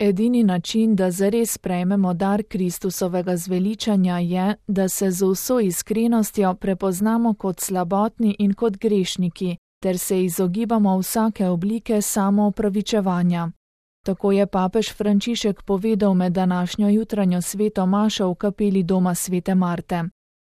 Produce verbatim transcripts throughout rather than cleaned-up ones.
Edini način, da zares prejmemo dar Kristusovega zveličanja, je, da se z vso iskrenostjo prepoznamo kot slabotni in kot grešniki, ter se izogibamo vsake oblike samoopravičevanja. Tako je papež Frančišek povedal med današnjo jutranjo sveto mašo v kapeli doma svete Marte.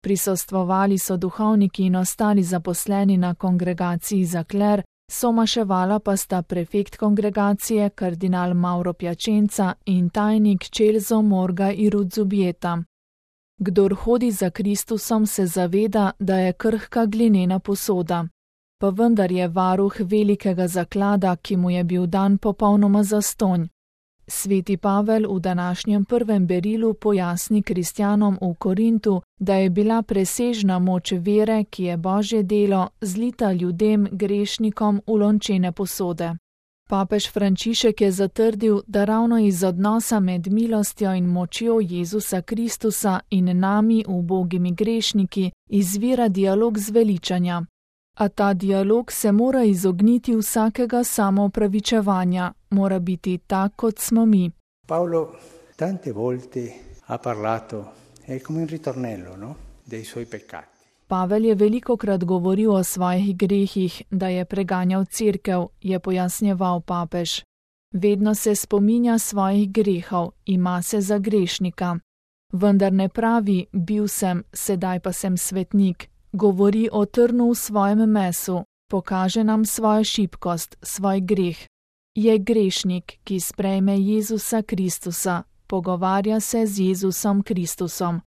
Prisostvovali so duhovniki in ostali zaposleni na kongregaciji za kler, somaševala pa sta prefekt kongregacije kardinal Mauro Piacenza in tajnik Celso Morga i Rudzubieta. Kdor hodi za Kristusom, se zaveda, da je krhka glinena posoda. Pa vendar je varuh velikega zaklada, ki mu je bil dan popolnoma zastonj. Sveti Pavel v današnjem prvem berilu pojasni kristjanom v Korintu, da je bila presežna moč vere, ki je Božje delo, zlita ljudem grešnikom v lončene posode. Papež Frančišek je zatrdil, da ravno iz odnosa med milostjo in močjo Jezusa Kristusa in nami, ubogimi grešniki, izvira dialog zveličanja. A ta dialog se mora izogniti vsakega samoopravičevanja, mora biti tak, kot smo mi. Paolo tante volte ha parlato, è come un ritornello, no? Dei suoi peccati. Pavel je velikokrat govoril o svojih grehih, da je preganjal cerkev, je pojasnjeval papež. Vedno se spominja svojih grehov, ima se za grešnika. Vendar ne pravi, bil sem, sedaj pa sem svetnik. Govori o trnu v svojem mesu, pokaže nam svojo šibkost, svoj greh. Je grešnik, ki sprejme Jezusa Kristusa, pogovarja se z Jezusom Kristusom.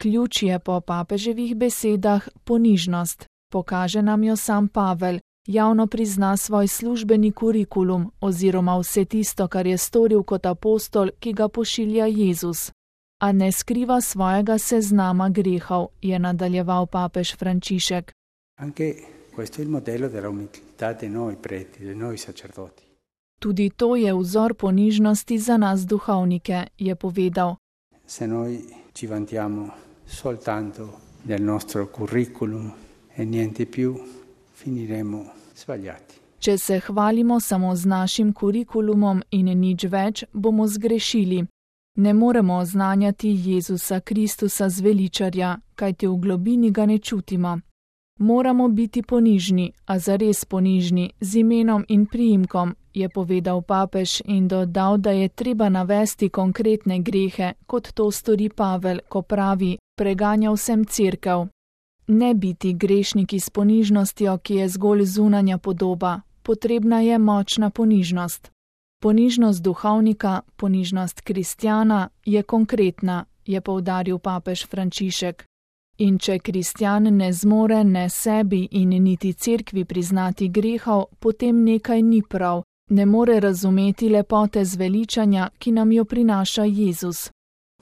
Ključ je po papeževih besedah ponižnost, pokaže nam jo sam Pavel, javno prizna svoj službeni kurikulum oziroma vse tisto, kar je storil kot apostol, ki ga pošilja Jezus. A ne skriva svojega seznama grehov, je nadaljeval papež Frančišek. Anche questo è il modello della umiltà di noi preti, di noi sacerdoti. Tudi to je vzor ponižnosti za nas duhovnike, je povedal. Se noi ci vantiamo soltanto del nostro curriculum e niente più, finiremo sbagliati. Če se hvalimo samo z našim kurikulumom in nič več, bomo zgrešili. Ne moremo oznanjati Jezusa Kristusa zveličarja, kajti v globini ga ne čutimo. Moramo biti ponižni, a zares ponižni, z imenom in priimkom, je povedal papež in dodal, da je treba navesti konkretne grehe, kot to stori Pavel, ko pravi, preganjal sem cerkev. Ne biti grešniki s ponižnostjo, ki je zgolj zunanja podoba, potrebna je močna ponižnost. Ponižnost duhovnika, ponižnost kristjana je konkretna, je poudaril papež Frančišek. In če kristjan ne zmore ne sebi in niti cerkvi priznati grehov, potem nekaj ni prav, ne more razumeti lepote zveličanja, ki nam jo prinaša Jezus.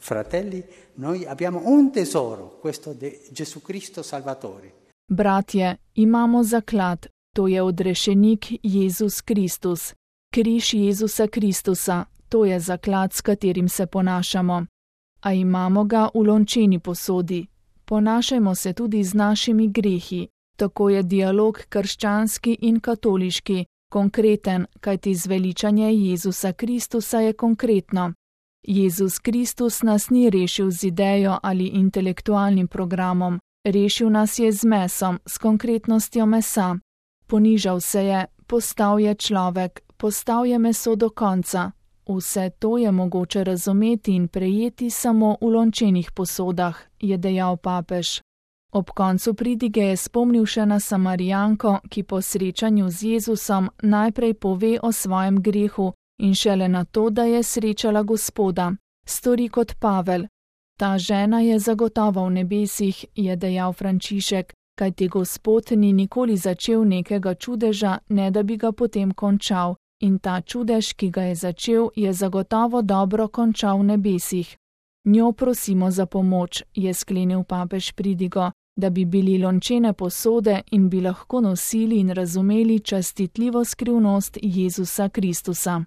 Fratelli, noi abbiamo un tesoro, questo di Gesù Cristo Salvatore. Bratje, imamo zaklad, to je odrešenik Jezus Kristus. Križ Jezusa Kristusa, to je zaklad, s katerim se ponašamo. A imamo ga v lončeni posodi. Ponašajmo se tudi z našimi grehi. Tako je dialog krščanski in katoliški, konkreten, kajti zveličanje Jezusa Kristusa je konkretno. Jezus Kristus nas ni rešil z idejo ali intelektualnim programom, rešil nas je z mesom, s konkretnostjo mesa. Ponižal se je, postal je človek, postal je meso do konca. Vse to je mogoče razumeti in prejeti samo v lončenih posodah, je dejal papež. Ob koncu pridige je spomnil še na Samarijanko, ki po srečanju z Jezusom najprej pove o svojem grehu in šele na to, da je srečala Gospoda. Stori kot Pavel. Ta žena je zagotovo v nebesih, je dejal Frančišek, kajti Gospod ni nikoli začel nekega čudeža, ne da bi ga potem končal. In ta čudež, ki ga je začel, je zagotovo dobro končal v nebesih. Njo prosimo za pomoč, je sklenil papež pridigo, da bi bili lončene posode in bi lahko nosili in razumeli častitljivo skrivnost Jezusa Kristusa.